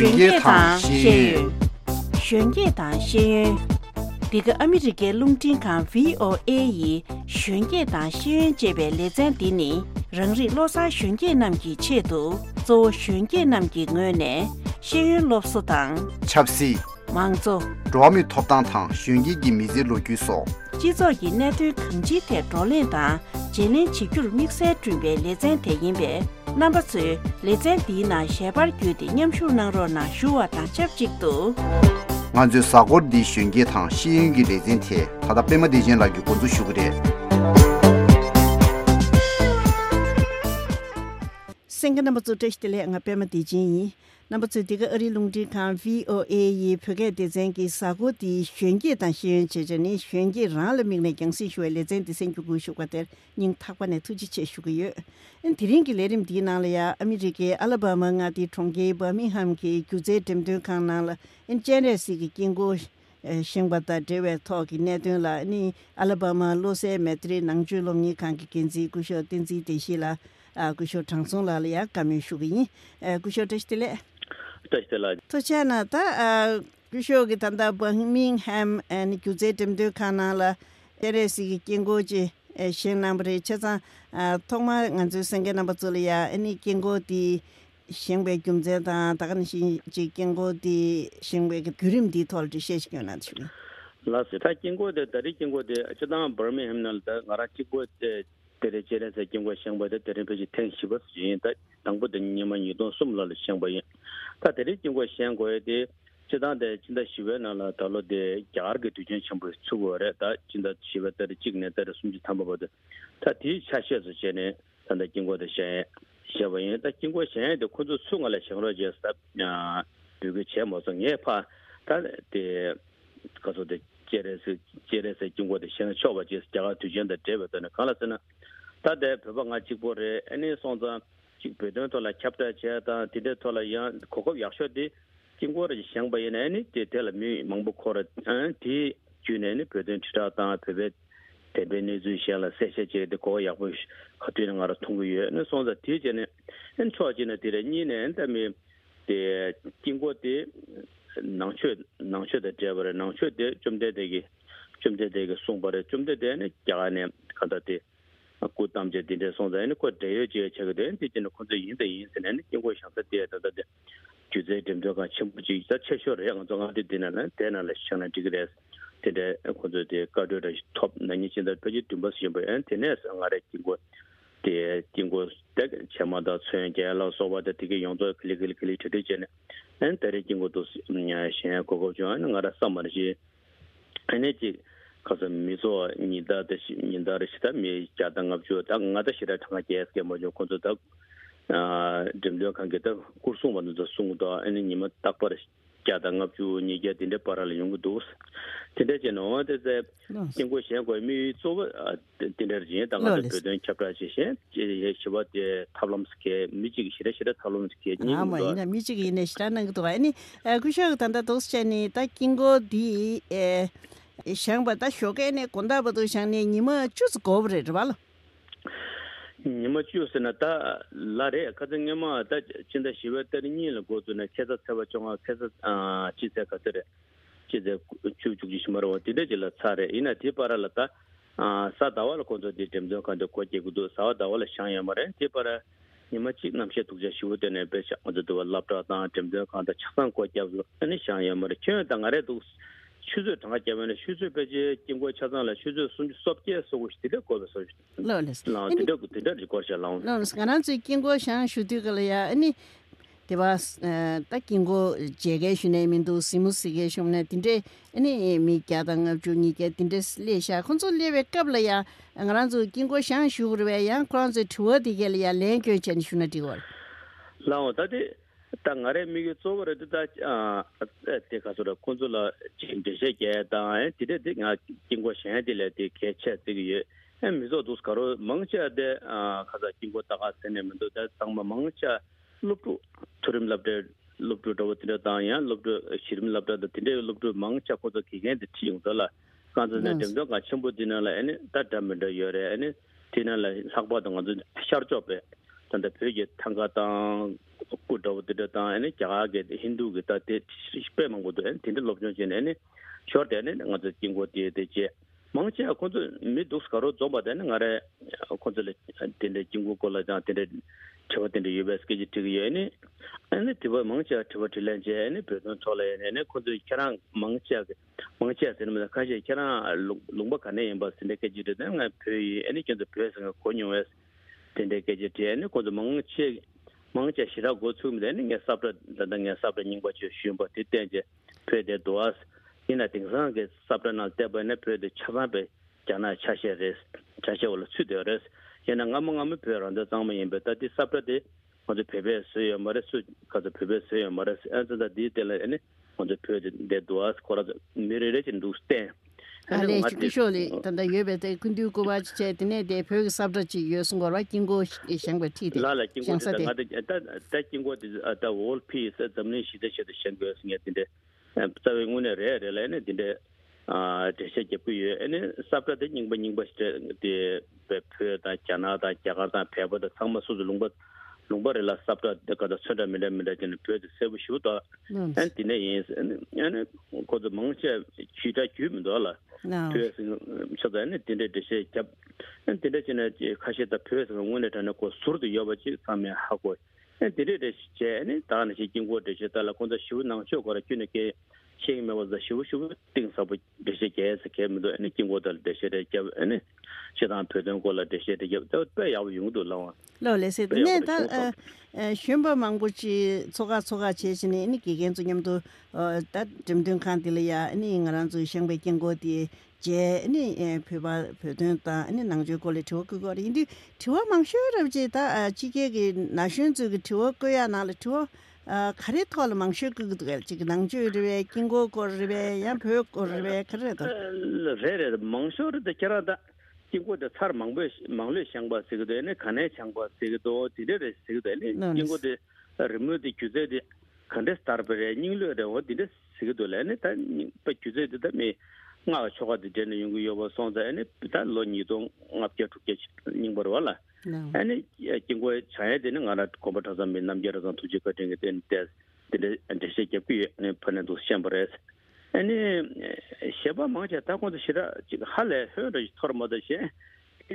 玄界堂仙云，玄界堂仙云。这个阿美这个龙井康 VOA 以玄界堂仙云这边列赞的呢，人日罗萨玄界南极切度，做玄界南极我呢，仙云罗索堂。插西。忙做。主米托当堂玄界的米子路据所。制作业那对空气的招领堂，今年7月密赛准备列赞的音乐。Number 2,列赞的那下班决定念书能让那书啊当接接读。俺就三个的玄界堂新的列赞贴，他的北马的人来就工作学的。三个那么做这些的俺北马的人。那么这个龙的看 VOA 也拍个的这个三个的玄界堂先这这呢玄界让了命来讲是说了真的生活学过的人他关的突击学个有提人个来点地那了呀阿美这个阿拉巴马啊的从个伯明翰个就在点点看那了真的是个经过新巴达这位talk那段了你阿拉巴马罗塞美特能就容易看个经济古小经济这些了古小长松了呀感觉说个古小这些了तो चना ता कुशो के तंदा बर्मिंघम एंड कुजे टेम्दो खानाला तेरेसी किंगो जे शेन नंबर छसा थोमा ngंजु संगे नंबर चलिया एनी किंगो दी शेंबे गुमजे ता तागन 시 जे किंगो दी शेंबे के गुरिम दी थोल दी शेश क्यों छु लासे ता किंगो दे तरी किंगो दे चदा बर्मिंघम नल ता ngara किंगो दे तेरे चेरे से किंगो शेंबे दे तेरे पे टें शिबस जी ता तंगबो दे निमा युदो सुमला ले शेंबे ता तेरे किंगो शेंगो दे चदा दे चिंदा शिवे नाला तालो दे जार के तुजन शेंबे छुगो रे ता चिंदा शिवे तेरे चिगने तेरे सुमजी थांबो बदे ता ती छाशे से चेने तंदा किंगो दे शे शेबे ता किंगो शे दे खुजु सुंगले शेंगलो जे सा दुगे छे मोसंग ये पा ता दे कसो दे चेरे से किंगो दे शेंग छोबा जे जागा तुजन दे देबे ता काला सना ता दे भबंगा चिपोरे एनी सोंजा चिपेदन तो ला चैप्टर ता तिदे तो ला या कोको याशो दे किंगो रे शेंगबे ने नि ते तेल मी मंगबो खोर ती जुने नि पेदन छिटा ता पेबे तेबे ने जुशला सेसे जे de ko ya bu khatu na ra thong ye ne so za ti je ne en cho ji ne de ni ne de me de jingguo de nang chue de je ba nang chue de zum de ge song ba de zum de ne ja ne ka da de ku tam je de so za ne ko de ye je che ge de ji ne ko de yin ne jingguo shang de de ju ze de de ga chim bu ji za che sho re yang zong ga de ne de na le shang na ji ge de ko de ka de top na ni chin de pe ji tu ba si ba en te ne sa nga re jingguo de chama da chen ge la so ba de ti ge yong zo kli te de je ne en te re jingguo do nya shen ko ko jo nga ra sa ma ji ane ji ka sa mi zo ni da de ni da re sta mi ja da ngab jo da nga da shi da thang ge ke mo jo ko zo da dim lo kan ge da kur su ma do sung da ane ni ma tak pa ja da ngab ju ni ge din de para le yong do te de je no de ze jing guo xian guo mi zo de de ji da nga de de chapra ji xian ji ye shi ba de problem ske mi ji shi de problem ske ni ma ina mi ji ne shi na ge do ni gu sha da do xian ni da jing guo di xiang ba da xiao ge ne gong da ba do xiang ni ni mo jiu go bu de ba le你们就是呢，他拉的，可是你们他现在学的你了，过去呢，开始才会中啊，开始记者可是的，记者就什么了，对的，就了查的，因为提拔了他啥大瓦了工作的，点就看到国际高度，啥大瓦了商业嘛的，提拔了，你们去那些读者学的呢，别想我这都拉不到，点就看到吃饭国家了，那商业嘛的，全当然都。学者当个节目呢，学者被这经过查证了，学者从说解说过的过的说。老了。那这就过去了。那是刚才最经过像学的个了呀，你对吧？他经过这个训练面都什么事个什么呢？顶着你没家当个就你个顶着列下，工作列为干了呀？刚才就经过像学的呗呀，可能是土的个了呀，两个钱学那地方。然后他的。当然，每个做的都这个说的工作了，这些给当然，这个经过现在的来的开车这个月，没做都是搞了忙些的可是经过大家3年们都在当忙些，录入突然录到我的当然录到视频录到的，听的录到忙些或者期间的提用的了，刚才呢，这个全部的呢来呢，他们的有的呢，听了来上班的我就下job呗。tanda pyoge tangatang kudawdidata ene jagaage hindu gita te shpe mangodo ene tinde lobjon chen ene short ene ngaza jingo de je mangche akonto midus karo zoba de ngare akonto le tinde jingo kola ja tinde chwa tinde US ke jiti ene ene tiba mangche tiba tilenje ene pedon chole ene konto kerang mangche sene kaje kerang lungba kane yamba sinde ke jiti de nga pye ene kendo pye sang konyo es tinde ke jiti ene konto mangche shira go chum de ne sabra da nga sabra ningba che shimba te tenje pede doas ina tingsan ge sabra na te ba ne pede chaba be jana chashe wala chu de res yana ngam pe ran da zang ma yin be ta di sabra de mo de pebe se yo mare su ka de pebe se yo mare as da di de le ne mo de pede de doas kora mere re chin du ste ale chisholi tanda yebe te kundu ko ba che tene de phe sabra chi yosung go right kingo shangba ti de la kingo de ta kingo de ta whole piece zamne shi de shangba singe tinde tawe ngune re le ne tinde de she je puye ene sabra de ningba de phe ta chana da jaga da phe ba da sangma su lungba re la sabra de ka da chada mele de phe de se bu shu da and tine is ene ko de mangche chi da gyum do la chadane tinde de she jab tinde chene khashi da phe se ngone ta ko sur de yoba chi samya ha ko tinde de che ne ta na chi jingwo de she ta la ko da shu nang cho ko ra kyune ke shing me was the shu ting sa bu de she ke se ke me do ne jingwo da de she de jab ne she dan phe den ko la de she de jab da pe ya yung do la lo le se ne ta shimba mangbu chi choga che chine ni ki gen zu nyam do ta jimdung khan de ya ni ngaran zu shangbe jingwo de je ni peba pedon ta ni nangjo ko le to ko ri ndi to mang shu ra je ta chi ge ge na shun zu ge to ko ya na le to khare thol mang shu ge ge chi nangjo re kingo ko re ya phe ko re khare da le re mang shu de kera da kingo de char mang be mang le shang ba se ge de ne khane chang ba se ge do ti de se ge de ne kingo de remove de kuze de khande star be ning le de o di de se ge do le ne ta pe kuze de me nga choga de den yung yo so da ne ta lo ni dong nga pye tu ke ning bor wala ane jinggo chae de nga ra ko ba ta zam min nam ge ra zan tu ji ka de den des de she ke pi ne pan do shambres ane sheba ma ja ta ko de shira ji hale he de thor ma de she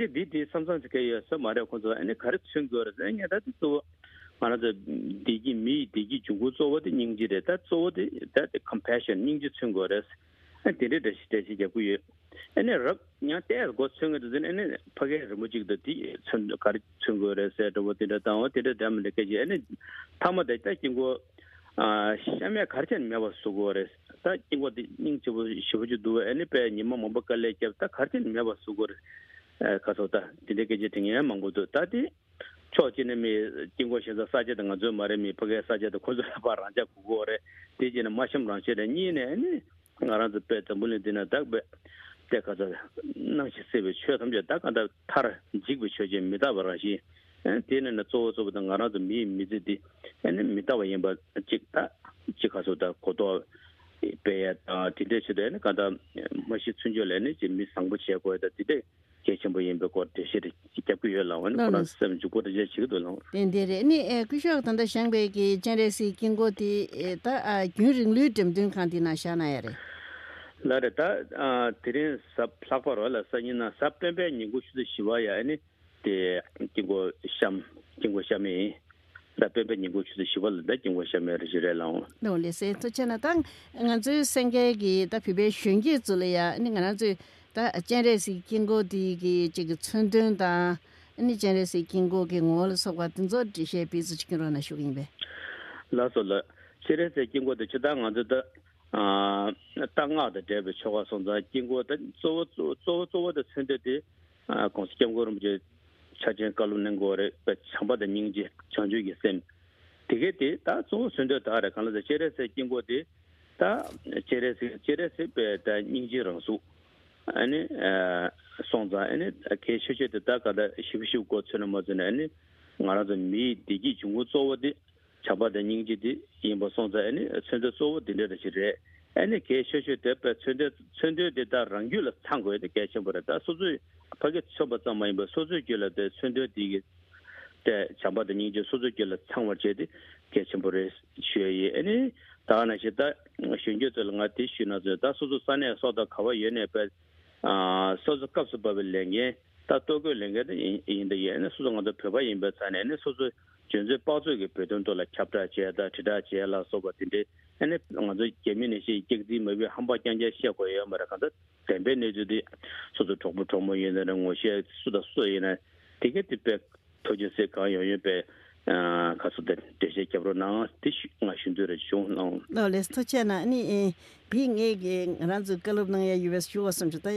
di samsang ke yo so ma re ko zo ane kar chung go ra nga da to mana de digi junggu zo de ning ji de ta zo de that compassion ning ji chung go res did the stage you and nya te go chung de and page mujik de di chun kar chung go re se de wo de da wo de dam de ke ji and tama de ta jingo shame kar chen me ba su go re ta jingo de ning ji bu shi bu ju du and pe ni mo ba ka le ke ta kar chen me ba su go re ka so ta de ke ji ting ya mang go do ta di cho ji ne me jingo shi za sa je de nga zo ma re mi page sa je de ko zo ba ran ja ku go re de ji ne ma sham ran che de ni ne ngaran de pe tambul dina dag be te ka za nang chi se be chhe tham je dag da thar jig be chhe je mi da ba ra shi tin ne zo zo de ngaran de mi ji di ne mi da wa yin ba jig ta ji ka so da ko do pe ya ta ti de che de ne ka da ma shi chun je le ne ji mi sang bu che ko da ti de ke chen bu yin be ko de shi de ji ke ku ye la wan ko na sem ju ko de je chi do la den de re ni ku sho tan da shang be ki chen re si king go ti ta gyun ring lu dem ding kan ti na sha na ya re la de ta tirin sab plakpar wala sa ni na sab pembe ni gu shu de shiwa ya ni de kingo sham yi da pembe ni gu shu de shiwa da kingo sham re jire la no le se to chena tang ngan zu senge gi da pi be shun gi zu le ya ni ngan zu da chen re si kingo di gi ji ge chun den da ni chen re si kingo ge ngol so ga den zo ji she bi zu chi ro na shu yin be la so la chen re si kingo de chi da ngan zu da当下的这个情况上，经过的做的成绩的公司经过我们就查检高路能够的强巴的凝结强就一些，这个的他做选择大的看了在现在是经过的，他现在是被的凝结人数，上在开学习的大概的修过程了么子呢？我那是米地基中国做的。强巴的凝结的，因为上在村的作物的那些人，给学的把村的到人有了参过的改善不了，但所以他给说不怎么样，所以觉得的村的때 잡아도 이제 소주결 창월제디 개침보를 쉬어이 아니 다나시다 신경들 같이 쉬나서 소주 산에 소다 가와 연에 소주 값을 벌랭게 다도고 랭게도 인데 얘는 소주가도 표바 인베산에 소주 전제 빠져게 배던도라 캡타제다 지다제라 소바딘데 아니 먼저 개민이시 직디 뭐비 한바장제 시고요 말아간다 덴베네주디 소주 조금 얘는 것이 수다 수에나 되게 tip에 토지세 가요예배 가서들 대세 캡로나 티슈 마신들의 쇼노 레스토체나 아니 빙에게 란즈 글로브나야 US 쇼었음주다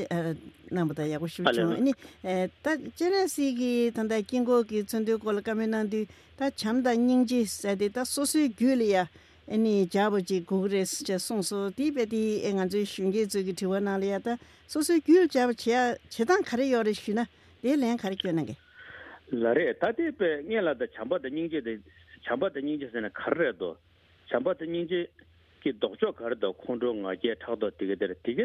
남보다 야고 쇼죠 아니 다 제네시기 단다 긴고기 전도 걸까면한디 다 참다 닝지 세데다 소스 귤이야 아니 자버지 고그레스 제 송소 디베디 eng안주 슝게 저기 티와나리아다 소스 귤 자버치야 제단 카레요르 쉬나 내랭 카레교는 게 라레 타데페 녜라다 참바다 닝제세나 카르도 참바다 닝제 기 독조 카르도 콘동아게 타도 되게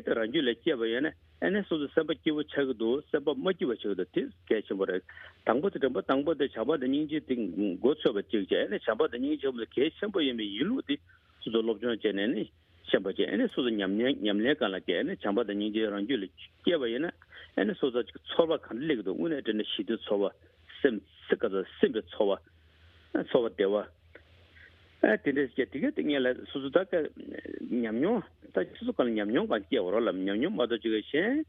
란줄레 께바야네 에네 소즈 서버기고 차고도 서버 뭐기고 차고도 개심버레 당보도 참바다 닝제 딩 고초버 찍제 에네 참바다 닝제 좀 개심버예미 일루디 소즈 롭존 제네니 샤바제 에네 소즈 냠냠레 간라게 에네 참바다 닝제 란줄레 께바야네 에네 소즈 초바 칸리기도 운에드네 시드 초바 스가서 심베 초와 대와 근데 되게 되게라 수수다가 냠뇨 다 수수간 냠뇨 같이 오라라 냠뇨 맞아 지게시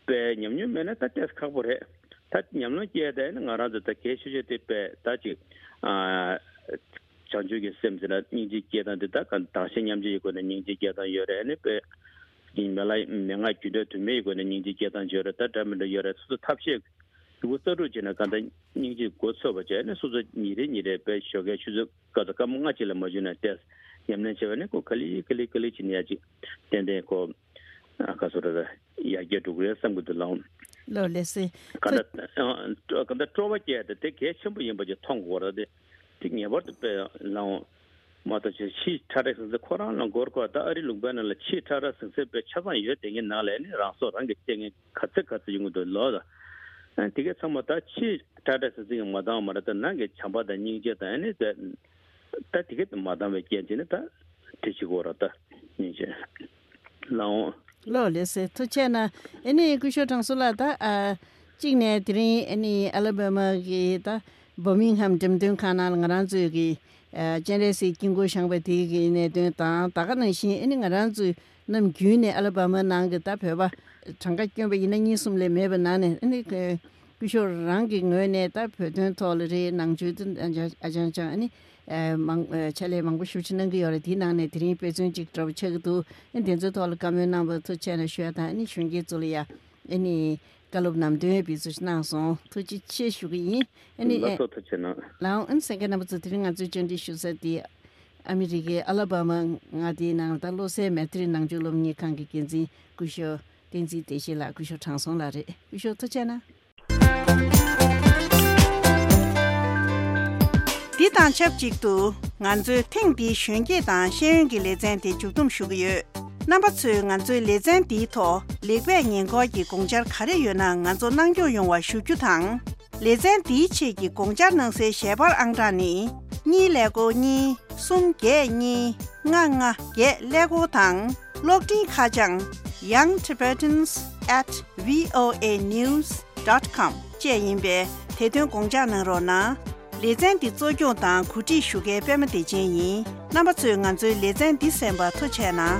배 냠뇨 메나 따뜻 카보레 다 냠뇨 제대는 알아서 계시제 때 다지 전주게 셈즈라 니지 계단데다 간 다시 냠지 이거는 니지 계단 열에네 배 이메라이 명아 주도 메이고는 니지 계단 저르다 담을 열에 수수 탑식 그것도 지나 간다 니지 고쳐버제네 소저 니레 배 쇼게 추적 가다가 뭔가 질러 뭐지나 때 냠는 제원에 고 칼리 지냐지 텐데 고 아까서다 이야기도 그래 상부도 나온 로레스 근데 트로바게 되게 전부 임버지 통고라데 되게 버드 배 나온 마다지 시 타레스 코로나 거르고다 아리 룩바나라 치 타라스 배 차반 이제 되게 나래네 라소랑 되게 같이 용도 넣어다 되게 참마다 치 타다스 지금 마담 말았다 나게 참바다 닝제다 아니 다 되게 마담에 깨지는다 되시고라다 이제 로레스 토체나 애니 구쇼탕솔라다 징네 드린 애니 알라바마기다 버밍함 점등 카날 ngaranzu기 제네시 긴고 상베디기 네다 다가는 신 애니 ngaranzu 남 균네 알라바마 나가다 벼봐 장가경베 이능이 숨레 매번나네 아니 그 구쇼랑기 뇌네 다 표준 톨리 낭주든 아장장 아니 망 찰레 망고 슈치는 게 여러 디나네 드림 표준 직접 책도 인텐저 톨 가면 나부터 채널 쉬었다 아니 슝게 줄이야 아니 갈롭남데 비즈나서 투지 치슈기 아니 라운 인생가나부터 드린 아주 전디 슈세디 아메리게 알라바마 나디나 달로세 메트리 낭줄롬니 칸기긴지 구쇼 딘지 대시라 구쇼 창송라레 구쇼 토체나 디단 챕직도 nganzu tingdi shunge dan shenyungi lezen di jugdum shugiyo. Namba 2 nganzu lezen di to legwe nyengo yi gongjar kare yu na nganzu nangyo yongwa shugyu tang. Lezen di che gi gongjar nangse shebar angdani ni lego ni sum ge ni nga nga ge lego tang lokdi kajang Young Tibetans @voanews.com 接音别台东公家能罗那列赞的作用当估计输给百分的建议，那么最按照列赞的3把特权呢？